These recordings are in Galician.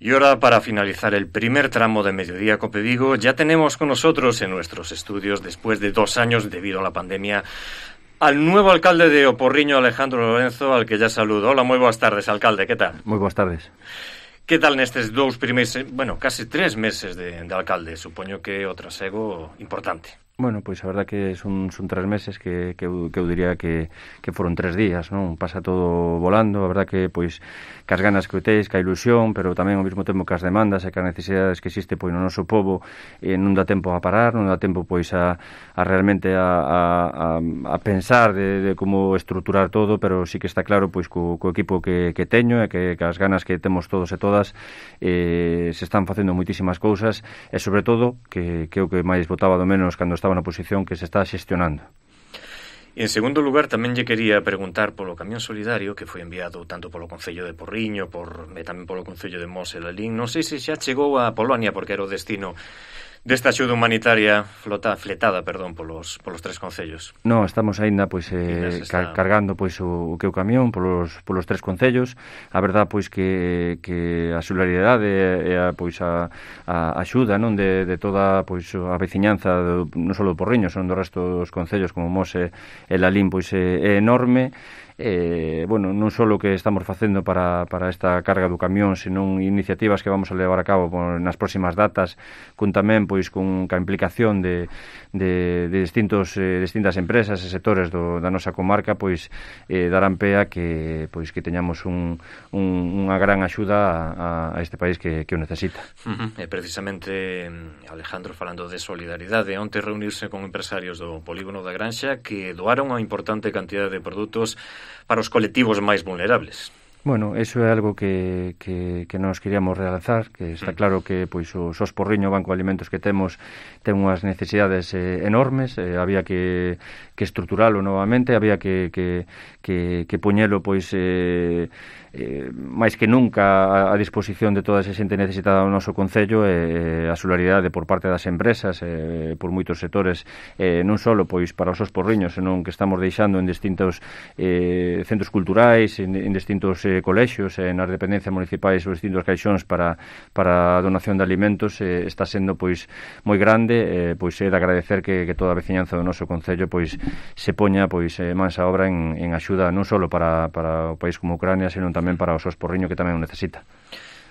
Y ahora, para finalizar el primer tramo de Mediodía Cope Vigo, ya tenemos con nosotros en nuestros estudios, después de 2 años debido a la pandemia, al nuevo alcalde de O Porriño, Alejandro Lorenzo, al que ya saludo. Hola, moi boas tardes, alcalde, que tal? Moi boas tardes. Que tal nestes 2 primeiros, casi 3 meses de alcalde? Supoño que o trasego importante. Bueno, pois a verdad que son 3 meses que eu diría que foron 3 días, non? Pasa todo volando, a verdad que pois cas ganas que teis, que a ilusión, pero tamén ao mesmo tempo que as demandas e que as necesidades que existe pois no noso pobo non dá tempo a parar, non dá tempo pois a realmente a pensar de como estruturar todo, pero sí que está claro pois co equipo que teño e que as ganas que temos todos e todas se están facendo moitísimas cousas e sobre todo que é o que máis botaba do menos cando estaba na posición, que se está xestionando. En segundo lugar, tamén lle quería preguntar polo camión solidario que foi enviado tanto polo Concello de Porriño, tamén polo Concello de Mos e Lalín. Non sei se xa chegou a Polonia, porque era o destino desta axuda humanitaria fletada polos 3 concellos. Non, estamos aínda pois cargando pois o que o camión polos 3 concellos. A verdad pois que a solidaridade e a axuda, non, de toda pois a veciñanza non só do Porriño, son do resto dos concellos como Mos e Lalín pois é enorme. Non só o que estamos facendo para esta carga do camión, senón iniciativas que vamos a levar a cabo nas próximas datas, con tamén pois con a implicación de distintas empresas e sectores da nosa comarca, pois darán pé a que teñamos unha gran axuda a este país que o necesita. E precisamente, Alejandro, falando de solidaridade, onte reunirse con empresarios do polígono da Granxa que doaron unha importante cantidade de produtos para os colectivos máis vulnerables. Bueno, eso é algo que nos queríamos realzar, que está claro que pois o SOS Porriño, o Banco de Alimentos que temos, ten unhas necesidades enormes, había que estruturalo novamente, había que poñelo pois máis que nunca a disposición de toda esa xente necesitada do noso concello, a solidaridade por parte das empresas, por moitos sectores, non só pois para os SOS Porriño, senón que estamos deixando en distintos centros culturais, en distintos colexios, nas dependencias municipais ou distintos caixóns para a donación de alimentos, está sendo pois moi grande, pois é de agradecer que toda a veciñanza do noso concello pois se poña pois mansa obra en axuda non só para o país como Ucrania, senón tamén para o SOS Porriño, que tamén o necesita.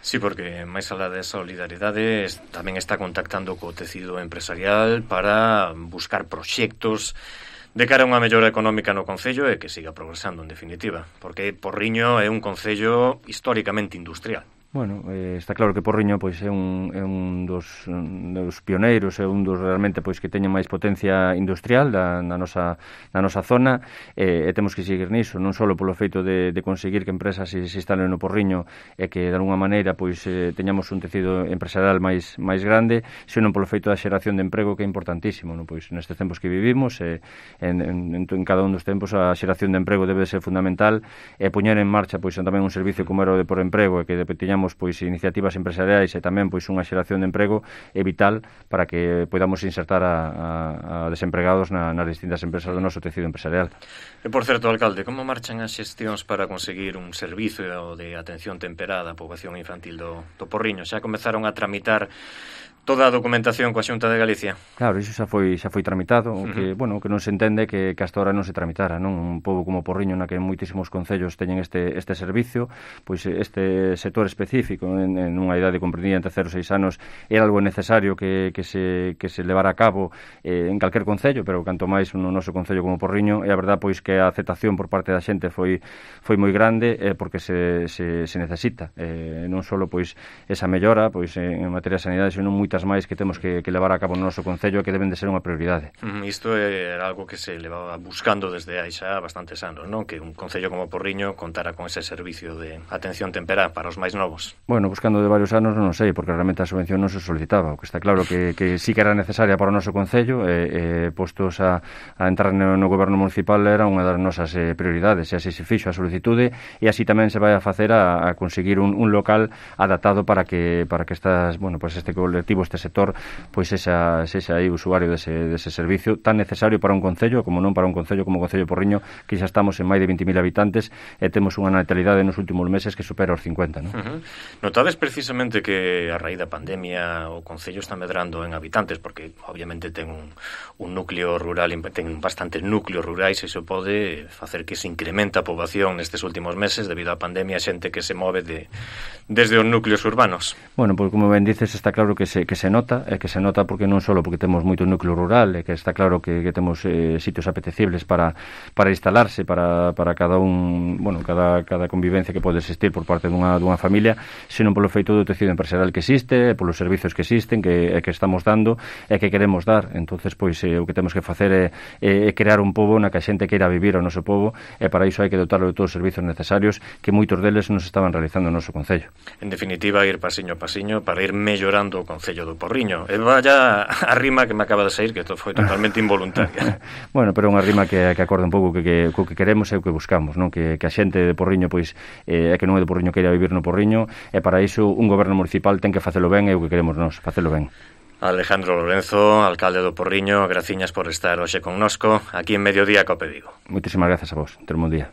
Sí, porque máis alá de solidaridade tamén está contactando co tecido empresarial para buscar proxectos de cara a unha mellora económica no concello e que siga progresando, en definitiva, porque Porriño é un concello históricamente industrial. Bueno, está claro que Porriño pois é un dos pioneiros, é un dos realmente pois que teñen máis potencia industrial na nosa zona, e temos que seguir niso, non só polo feito de conseguir que empresas se instalen no Porriño e que de alguma maneira pois teñamos un tecido empresarial máis grande, senón polo feito da xeración de emprego, que é importantísimo, non? Pois nestes tempos que vivimos, en cada un dos tempos a xeración de emprego debe ser fundamental, e poñer en marcha pois tamén un servicio como era o de Por Emprego, e que teñamos pois iniciativas empresariais e tamén pois unha xeración de emprego é vital para que podamos insertar a desempregados nas distintas empresas do noso tecido empresarial. E por certo, alcalde, como marchan as xestións para conseguir un servicio de atención temperada á poboación infantil do Porriño? Xa comezaron a tramitar toda a documentación coa Xunta de Galicia? Claro, iso xa foi tramitado, que non se entende que hasta ahora non se tramitara, non? Un pobo como Porriño, na que moitísimos concellos teñen este servicio, pois este sector específico en unha idade comprendida entre 0 e 6 anos era algo necesario que se levara a cabo en calquer concello, pero canto máis no noso concello como Porriño, e a verdad pois que a aceptación por parte da xente foi moi grande, porque se necesita, non só pois esa mellora pois en materia de sanidade, senón moitas máis que temos que levar a cabo no noso concello, que deben de ser unha prioridade. Isto era algo que se levaba buscando desde hai xa bastantes anos, non? Que un concello como Porriño contara con ese servicio de atención temperá para os máis novos. Bueno, buscando de varios anos non sei, porque realmente a subvención non se solicitaba, o que está claro que sí que era necesaria para o noso concello, postos a entrar no goberno municipal era unha das nosas prioridades, e así se fixo a solicitude, e así tamén se vai a facer a conseguir un local adaptado para que estas, este colectivo este sector pois sexa aí usuario dese servicio tan necesario para un concello, como non para un concello como o Concello de Porriño, que xa estamos en máis de 20.000 habitantes e temos unha natalidade nos últimos meses que supera os 50, non? Notades precisamente que a raíz da pandemia o concello está medrando en habitantes, porque obviamente ten un núcleo rural, ten bastantes núcleos rurais, e iso pode facer que se incrementa a poboación nestes últimos meses debido á pandemia, xente que se move desde os núcleos urbanos. Bueno, pois como ben dices, está claro que se nota, e que se nota porque non só porque temos moito núcleo rural, e que está claro que temos sitios apetecibles para instalarse para cada un, bueno, cada convivencia que pode existir por parte dunha familia, senón polo feito do tecido empresarial que existe, polos servizos que existen, que estamos dando e que queremos dar. Entonces, pois o que temos que facer é crear un pobo na que a xente queira vivir o noso pobo, e para iso hai que dotarlo de todos os servizos necesarios que moitos deles nos estaban realizando no noso concello. En definitiva, ir pasiño a pasiño para ir mellorando o Concello do Porriño. E vaya a rima que me acaba de sair, que foi totalmente involuntaria. Bueno, pero é unha rima que acorda un pouco co que queremos e o que buscamos, non? Que a xente de Porriño, pois, é que non é de Porriño queira vivir no Porriño, e para iso un goberno municipal ten que facelo ben, e o que queremos nós, facelo ben. Alejandro Lorenzo, alcalde do Porriño, graciñas por estar hoxe connosco aquí en Mediodía Cope Vigo. Moitísimas grazas a vos. Ter un bon día.